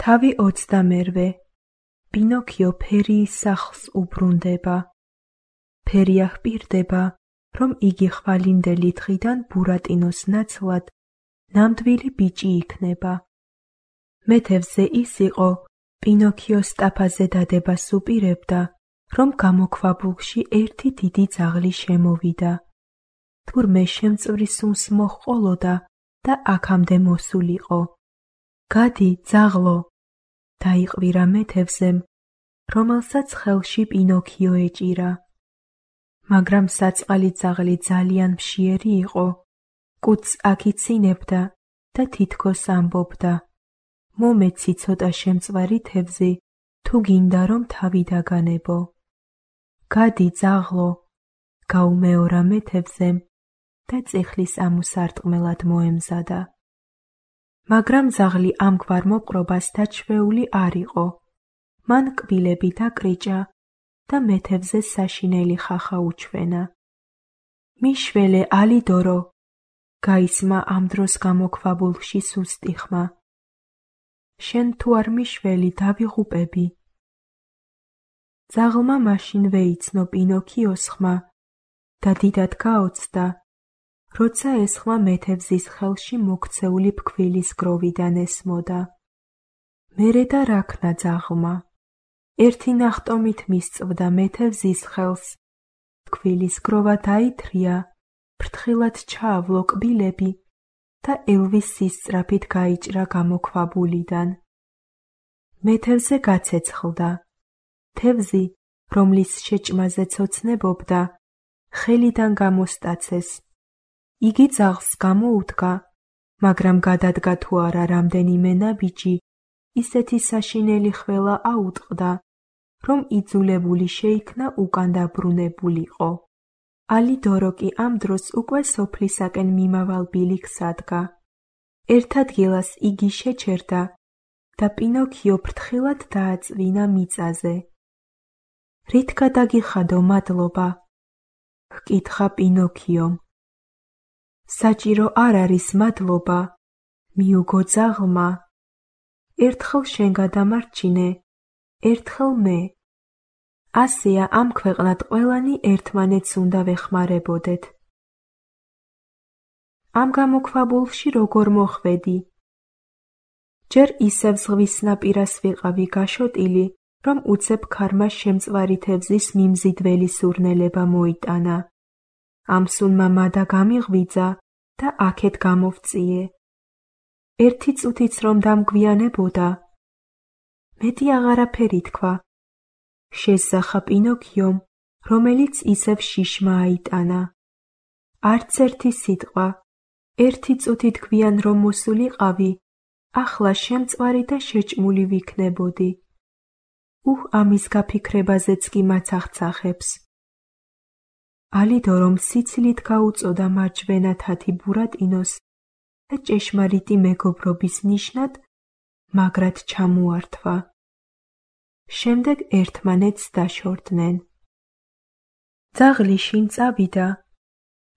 თავი 28. პინოქიო ფერიის სახლს უბრუნდება. ფერია ჰპირდება, რომ იგი ხვალინდელი დღიდან ბურატინოს ნაცვლად ნამდვილი ბიჭი იქნება. მეთევზე ის იყო, პინოქიოს სტაფაზე დადებას უპირებდა, რომ გამოქვაბულში ერთი დიდი ძაღლი შემოვიდა. თურმე შემწვრის სუნს მოჰყოლოდა და აქამდე მოსულიყო. გადი, ძაღლო! დაიყვირა მეთევზემ, რომელსაც ხელში პინოქიო ეჭირა. მაგრამ საწყალი ძაღლი ძალიან მშიერი იყო, კუცს აქიცინებდა და თითქოს ამბობდა: მომეცი ცოტა შემწვარი თევზი, თუ გინდა რომ თავი დაგანებო. გადი, ძაღლო! გაუმეორა მეთევზემ და წიხლის ამოსარტყმელად მოემზადა. მაგრამ ძაღლი ამგვარ მოპყრობას დაჩვეული არ იყო. მან კბილები დაკრიჭა და მეთევზეს საშინელი ხახა უჩვენა. მიშველე, ალიდორო! გაისმა ამ დროს გამოქვაბულში სუსტი ხმა. შენ თუ არ მიშველი, დავიღუპები. ძაღლმა მაშინვე იცნო პინოქიოს ხმა და დიდად გაოცდა, როცა ეს ხმა მეთევზის ხელში მოქცეული ფქვილის გროვიდან ესმოდა. მერე და რაქნა ძაღლმა? ერთი ნახტომით მისწვდა მეთევზის ხელს, ფქვილის გროვა დაითრია, ფრთხილად ჩაავლო კბილები და ელვის სისწრაფით გაიჭრა გამოქვაბულიდან. მეთევზე გაცეცხლდა. თევზი, რომლის შეჭმაზე ცოცნებობდა, ხელიდან გამოსტაცეს. იგი ძაღლს გამოუდგა, მაგრამ გადადგა თუ არა რამდენიმე ნაბიჯი, ისეთი საშინელი ხველა აუტყდა, რომ იძულებული შეიქნა უკან დაბრუნებულიყო. ალიდორო კი ამ დროს უკვე სოფლისაკენ მიმავალ ბილიქს ადგა. ერთ ადგილას იგი შეჩერდა და პინოქიო ფრთხილად დააწვინა მიწაზე. რით გადაგიხადო, მადლობა? ჰკითხა პინოქიომ. საჭირო არ არის მადლობა, მიუგო ძაღლმა. ერთხელ შენ გადამარჩინე, ერთხელ მე. ასეა ამ ქვეყნად ყველანი ერთმანეთს უნდა ვეხმარებოდეთ. ამ გამოქვაბულში როგორ მოხვედი? ჯერ ისევ ზღვის ნაპირას ვიყავი გაშოტილი, რომ უცებ ქარმა შემწვარი თევზის მიმზიდველი სურნელება მოიტანა. ამ სუნმა მადა გამიღვიძა და აქეთ გამოვწიე. ერთი წუთიც რომ დამგვიანებოდა. მეტი აღარაფერი თქვა. შესძახა პინოქიომ, რომელიც ისევ შიშმა აიტანა. არც ერთი სიტყვა. ერთი წუთით გვიან რომ მოსულიყავი, ახლა შემწვარი და შეჭმული ვიქნებოდი. ამის გაფიქრებაზეც კი მაცახცახებს. ალიდორომ სიცილით გაუწოდა მარჯვენა თათი ბურატინოს და ჭეშმარიტი მეგობრობის ნიშნად მაგრად ჩამოართვა. შემდეგ ერთმანეთს დაშორდნენ. ძაღლი შინ წავიდა.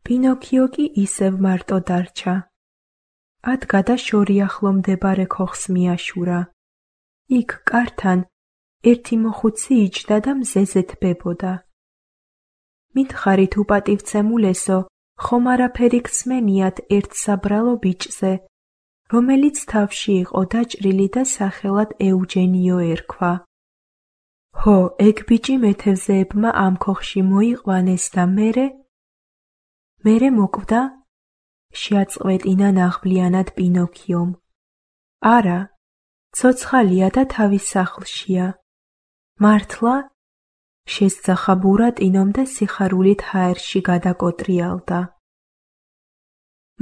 პინოქიო კი ისევ მარტო დარჩა. ადგა და შორიახლო მდებარე ქოხს მიაშურა. იქ კართან ერთი მოხუცი იჯდა და მზეზე თბებოდა. მითხარით უპატივცემულესო, ხომ არაფერი გსმენიათ ერთ საბრალო ბიჭზე, რომელიც თავში იყო დაჭრილი და სახელად ეუჯენიო ერქვა. ჰო, ეგ ბიჭი მეთევზეებმა ამ ქოხში მოიყვანეს და მერე მოკვდა? შეაწყვეტინა ნაღბლიანად პინოქიომ. არა, ცოცხალია და თავის სახლშია. მართლა? შესძახა ბურატინომ და სიხარულით ჰაერში გადაკოტრიალდა.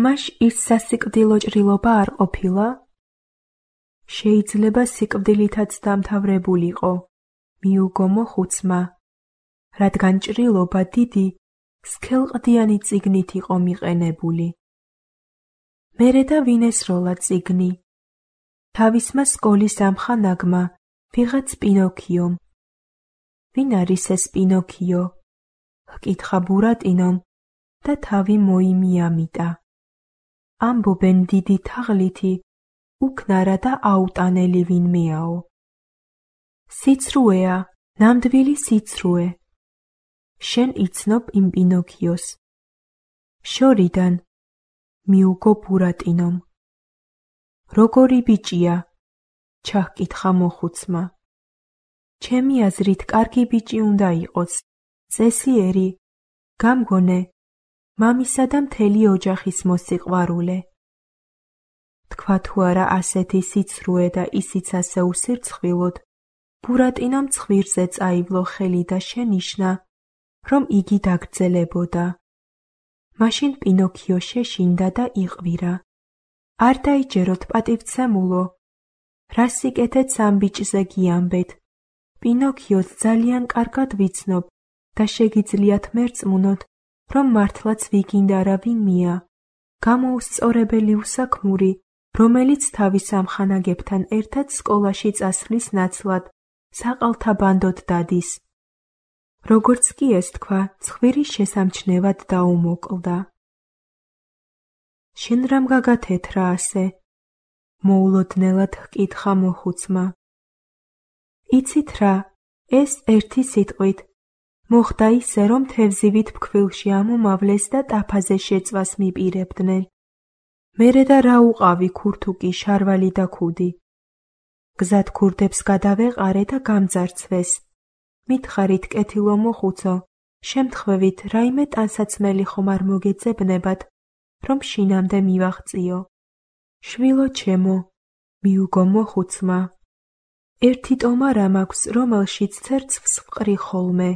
მაშ ის სასიკვდილო ჭრილობა არ ყოფილა? შეიძლება სიკვდილითაც დამთავრებულიყო, მიუგო მოხუცმა, რადგან ჭრილობა დიდი, სქელყდიანი წიგნით იყო მიყენებული. მერე და ვინ ესროლა წიგნი? თავისმა სკოლის ამხანაგმა, ვიღაც პინოქიომ. ვინ არის ეს პინოქიო? ჰკითხა ბურატინომ და თავი მოიმიამიტა. ამბობენ დიდი თაღლითი, უკნარა და აუტანელი ვინმეაო. სიცრუეა, ნამდვილი სიცრუე. შენ იცნობ იმ პინოქიოს. შორიდან მიუგო ბურატინომ. როგორი ბიჭია? ჩაჰკითხა მოხუცმა. ჩემი აზრით კარგი ბიჭი უნდა იყოს, წესიერი, გამგონე, მამისა და მთელი ოჯახის მოსიყვარულე. თქვა თუ არა ასეთი სიცრუე და ისიც ასე უსირცხვილოდ, ბურატინომ ცხვირზე წაივლო ხელი და შენიშნა, რომ იგი დაგრძელებოდა. მაშინ პინოქიო შეშინდა და იყვირა. არ დაიჯეროთ პატივცემულო. რა სიკეთეც ამ ბიჭზე გიამბეთ. პინოქიოს ძალიან კარგად ვიცნობ და შეგიძლიათ მერწმუნოთ, რომ მართლაც ვიგინდა ვინმეა, გამოუსწორებელი უსაქმური, რომელიც თავის ამხანაგებთან ერთად სკოლაში წასვლის ნაცვლად საყალთა ბანდოდ დადის. როგორც კი ეს თქვა, ცხვირი შესამჩნევად დაუმოკლდა. შენ რამ გაგათეთრა ასე? მოულოდნელად ჰკითხა მოხუცმა. იცით რა, ეს ერთი სიტყვით. მოხდა ისე, რომ თევზივით ფქვილში ამომავლეს და ტაფაზე შეწვას მიპირებდნენ. მერე და რა უყავი ქურთუკი, შარვალი და ქუდი. გზად ქურდებს გადავეყარე და გამძარცვეს. მითხარით კეთილო მოხუცო, შემთხვევით რაიმე ტანსაცმელი ხომ არ მოგეძებნებათ, რომ შინამდე მივაღწიო. შვილო ჩემო, მიუგო მოხუცმა. ერთი ტომარა მაქვს, რომელშიც ცერცვს ვყრი ხოლმე.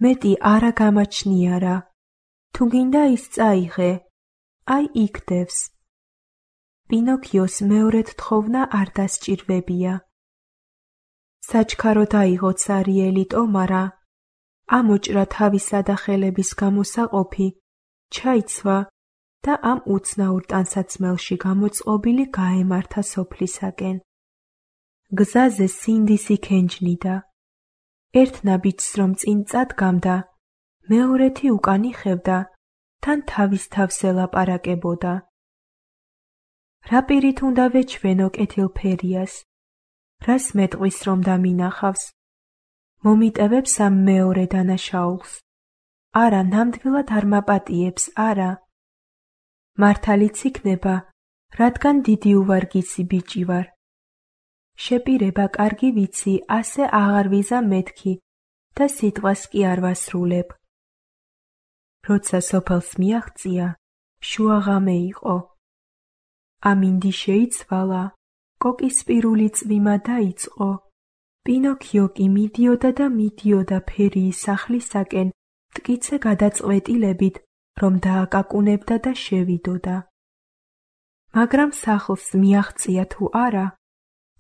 მეტი არა გამაჩნიარა. თუ გინდა ის წაიღე, აი იქ დევს. პინოქიოს მეორედ თხოვნა არ დასჭირვებია. საჩქარო დაიღო цаრიელი ტომარა, ამოჭრა თავისა და ხელების გამოსაყოფი, ჩაიცვა და ამ უცნაურ ტანსაცმელში გამოწყობილი გაემართა სოფლისაკენ. გზაზე სინდისი ქენჯნიდა. ერთ ნაბიჯს რომ წინ წადგამდა, მეორეთი უკან იხევდა, თან თავის თავს ელაპარაკებოდა. რა პირით უნდა ვეჩვენო კეთილფერიას? რას მეტყვის რომ დამინახავს? მომიტევებს ამ მეორე დანაშაულს. არა, ნამდვილად არ მაპატიებს, არა. მართალიც იქნება, რადგან დიდი უვარგისი ბიჭი ვარ. შეპირება კარგი ვიცი, ასე აღარ ვიზა მეთქი და სიტყვას კი არ ვასრულებ. როცა სოფელს მიაღწია, შუაღამე იყო. ამინდი შეიცვალა, კოკისპირული წვიმა დაიწყო. პინოქიო კი მიდიოდა და მიდიოდა ფერიის სახლისაკენ, მტკიცე გადაწყვეტილებით, რომ დააკაკუნებდა და შევიდოდა. მაგრამ სახლს მიაღწია თუ არა,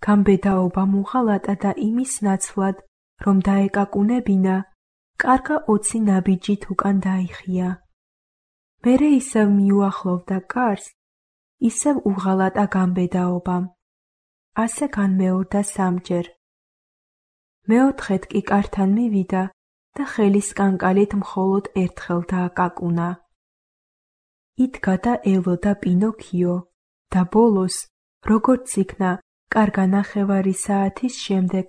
გამბედაობა მუღალატა და იმის ნაცვლად, რომ დაეკაკუნებინა, კარგა 20 ნაბიჯით უკან დაიხია. მერე ისევ მიუახლოვდა კარს, ისევ უღალატა გამბედაობამ. ასე განმეორდა სამჯერ. მეოთხედ კი კართან მივიდა და ხელის კანკალით მხოლოდ ერთხელ დააკაკუნა. იდგა და ელოდა პინოქიო და ბოლოს, როგორც იქნა, კარგა ნახევარი საათის შემდეგ,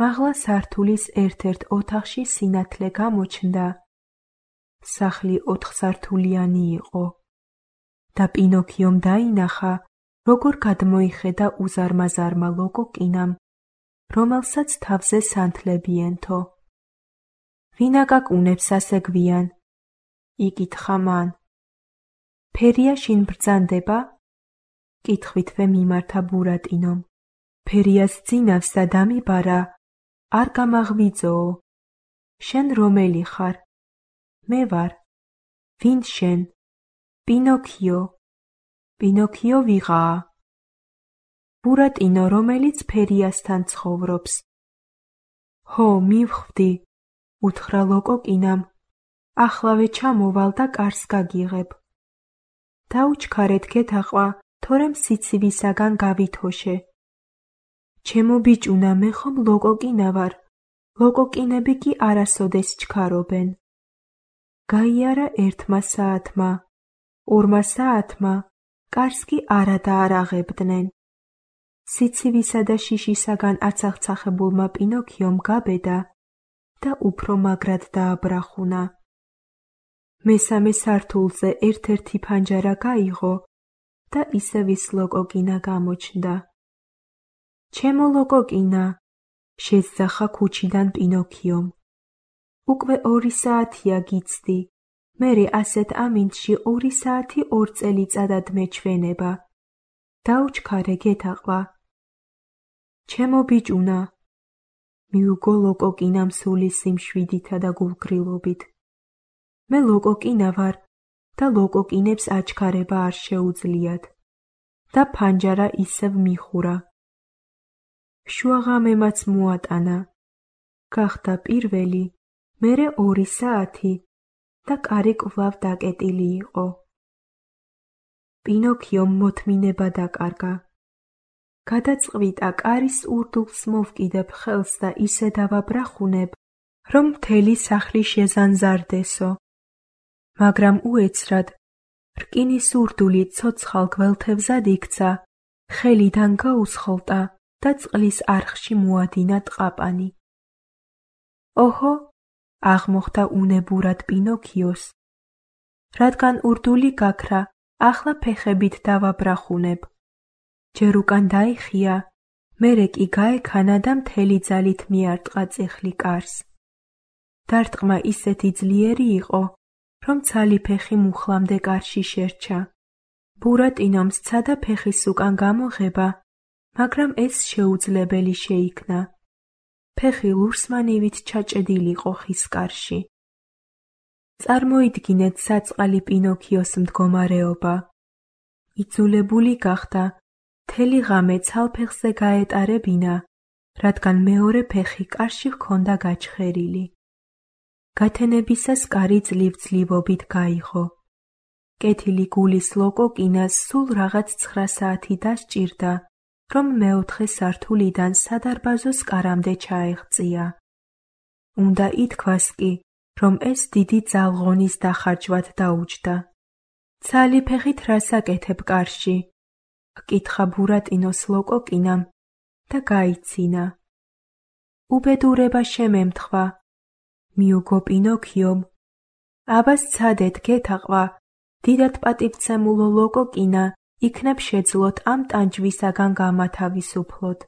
მაღლა სართულის ერთ-ერთ ოთახში სინათლე გამოჩნდა. სახლი 4 სართულიანი იყო და პინოქიომ დაინახა, როგორ გადმოიხედა უზარმაზარმა ლოკოკინამ, რომელსაც თავზე სანთლები ენთო. ვინ აკაკუნებს ასე გვიან? იკითხა მან. ფერია შინ ბრძანდება? კითხვითვე მიმართა ბურატინომ. ფერიას ძინავსა დამიბარა, არ გამაღვიძოო. შენ რომელი ხარ? მე ვარ. ვინ შენ? პინოქიო. პინოქიო ვიღაა? ბურატინო, რომელიც ფერიასთან ცხოვრობს. ჰო, მივხვდი, უთხრა ლოკოკინამ. ახლავე ჩამოვალ და კარს გაგიღებ. დაუჩქარეთ გეთაყვა, თორემ სიცივისაგან გავითოშე. ჩემო ბიჭუნა, მე ხომ ლოკოკინა ვარ, ლოკოკინები კი არასოდეს ჩქარობენ. გაიარა 1 საათმა, 2 საათმა, კარს კი არა დაარაღებდნენ. სიცივისა და შიშისაგან აცახცახებულმა პინოქიომ გაბედა და უფრო მაგრად დააბრახუნა. მესამე სართულზე ერთ-ერთი ფანჯარა გაიღო და ისევ ის ლოკოკინა გამოჩნდა. ჩემო ლოკოკინა, შეძახა ქუჩიდან პინოქიომ. უკვე 2 საათია გიცდი, მერე ასეთ ამინდში 2 საათი 2 წელიწადად მეჩვენება. დაუჩქარე გეთაყვა. ჩემო ბიჭუნა, მიუგო ლოკოკინამ სული სიმშვიდითა და გულგრილობით. მე ლოკოკინა ვარ და ლოკოკინებს აჩქარება არ შეუძლიათ და ფანჯარა ისევ მიხურა. შუაღამემაც მოატანა. გახდა პირველი, მერე 2 საათი და კარი კვლავ დაკეტილი იყო. პინოქიომ მოთმინება დაკარგა. გადაწყვიტა კარის ურდულს მოვკიდებ ხელს და ისე დავაბრახუნებ, რომ მთელი სახლი შეზანზარდესო. მაგრამ უეცრად რკინის ურდული ცოცხალ გველთებზად იქცა, ხელიდან გაუსხლტა და წყლის არხში მოადინა ტყაპანი. ოჰო, აღმოხდა უნებურად პინოქიოს. რადგან ურდული გაქრა, ახლა ფეხებით დავაბრახუნებ. ჯერ უკან დაიხია, მერე კი გაექანა და მთელი ძალით მიარტყა წიხლი კარს. დარტყმა ისეთი ძლიერი იყო, რომ ცალი ფეხი მუხლამდე კარში შერჩა. ბურატინომ სცადა ფეხის უკან გამოღება, მაგრამ ეს შეუძლებელი შეიქნა. ფეხი ლურსმანივით ჩაჭედილიყო ხის კარში. წარმოიდგინეთ საწყალი პინოქიოს მდგომარეობა. იძულებული გახდა მთელი ღამე ცალფეხზე გაეტარებინა, რადგან მეორე ფეხი კარში ჰქონდა გაჩხერილი. გათენებისას კარი ძლივ-ძლივობით გაიღო. კეთილი გულის ლოკოკინას სულ რაღაც 9 საათი დასჭირდა, რომ მეოთხე სართულიდან სადარბაზოს კარამდე ჩაეღწია. უნდა ითქვას კი, რომ ეს დიდი ძალღონის დახარჯვად დაუჯდა. ცალი ფეხით რას აკეთებ კარში? ჰკითხა ბურატინოს ლოკოკინამ და გაიცინა. უბედურება შემემთხვა. მიუგო პინოქიომ. აბა სცადეთ გეთაყვა, დიდად პატივცემულო ლოკოკინა იქნებ შეძლოთ ამ ტანჯვისაგან გამათავისუფლოთ.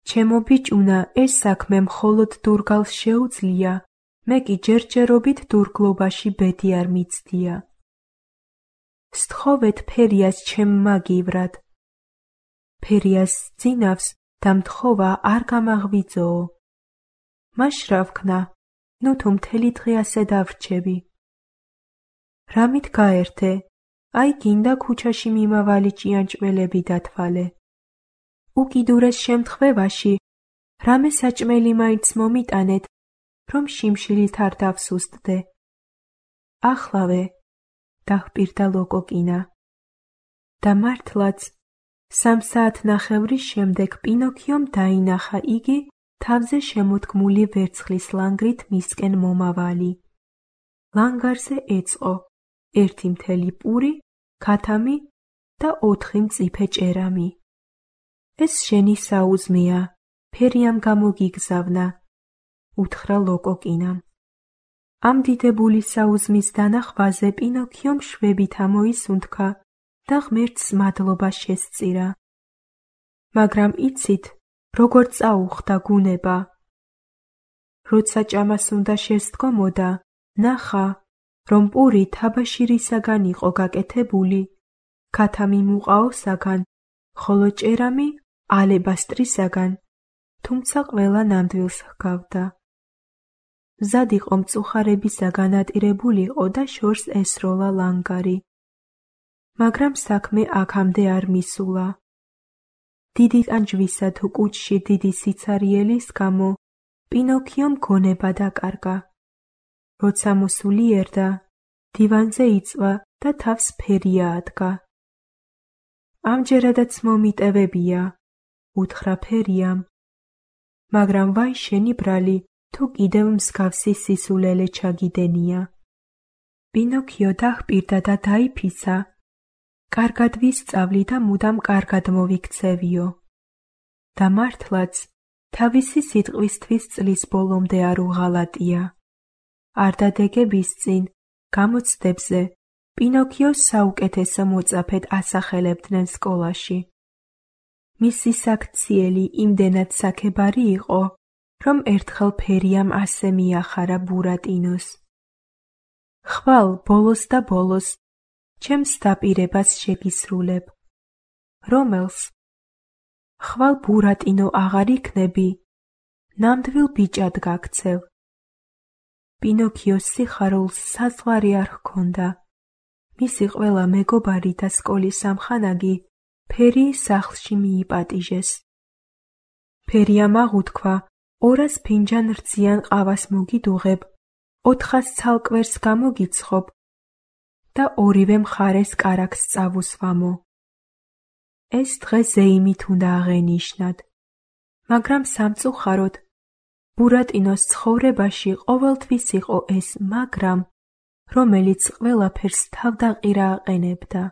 ჩემო ბიჭუნა, ეს საქმე მხოლოდ დურგალს შეუძლია, მე კი ჯერჯერობით დურგლობაში ბედი არ მიცდია. სთხოვეთ ფერიას ჩემ მაგივრად. ფერიას ძინავს და მთხოვა არ გამაღვიძოო. მაშ რა ვქნა, ნუ თუ მთელი დღე ასე დავრჩები. რამით გაერთე, აი გინდა ქუჩაში მიმავალი ჭიანჭველები დათვალე. უკიდურეს შემთხვევაში, რამე საჭმელი მაინც მომიტანეთ, რომ შიმშილით არ დავსუსტდე. ახლავე, დახპირდა ლოკოკინა. და მართლაც, 3 საათნახევრის შემდეგ პინოქიომ დაინახა იგი თავზე შემოდგმული ვერცხლის ლანგრით მისკენ მომავალი. ლანგარზე ეწყო 1 მთელი პური, ქათამი და 4 მწიფე ჭერამი. ეს შენი საუზმეა, ფერიამ გამოგიგზავნა, უთხრა ლოკოკინამ. ამ დიდებული საუზმის დანახვაზე პინოქიომ შვებით ამოისუნთქა და ღმერთს მადლობა შესწირა. მაგრამ იცით, როგორ წაუხდა გუნება. როცა ჭამას უნდა შესდგომოდა, ნახა, რომ პური თაბაშირისაგან იყო გაკეთებული, ქათამი მუყაოსაგან, ხოლო ჭერამი ალებასტრისაგან, თუმცა ყველა ნამდვილს ჰგავდა. მზად იყო მწუხარებისაგან ატირებულიყო და შორს ესროლა ლანგარი. მაგრამ საქმე აქამდე არ მისულა. დიდი ტანჯვისა თუ კუჭში დიდი სიცარიელის გამო პინოქიომ გონება დაკარგა. როცა მოსულიერდა, დივანზე იწვა და თავს ფერია ადგა. ამჯერადაც მომიტევებია, უთხრა ფერიამ. მაგრამ ვაი შენი ბრალი, თუ კიდევ მსგავსი სისულელე ჩაგიდენია. პინოქიო დახპირდა და დაიფიცა, კარგად ვისწავლი და მუდამ კარგად მოვიქცევიო. და მართლაც, თავისი სიტყვისთვის წლის ბოლომდე არ უღალატია. არ დადეგების წინ, გამოცდებზე, პინოქიოს საუკეთესო მოწაფედ ასახელებდნენ სკოლაში. მისი საქციელი იმდენად საქებარი იყო, რომ ერთხელ ფერიამ ასე მიახარა ბურატინოს. ხვალ ბოლოს და ბოლოს, ჩემს დაპირებას შეგისრულებ. რომელს? ხვალ ბურატინო აღარ იქნები, ნამდვილ ბიჭად გაქცევ. პინოქიოს სიხარულს საზღვარი არ ჰქონდა. მისი ყველა მეგობარი და სკოლის ამხანაგი ფერიის სახლში მიიპატიჟეს. ფერიამ აღუთქვა 200 ფინჯან რძიან ყავას მოგიდუღებ, 400 ცალკვერს გამოგიცხობ და ორივე მხარეს კარაქს წავუსვამო. ეს დღე ზეიმით უნდა აღენიშნათ, მაგრამ სამწუხაროდ, ბურატინოს ცხოვრებაში ყოველთვის იყო ეს მაგრამ, რომელიც ყველაფერს თავდაყირა აყენებდა.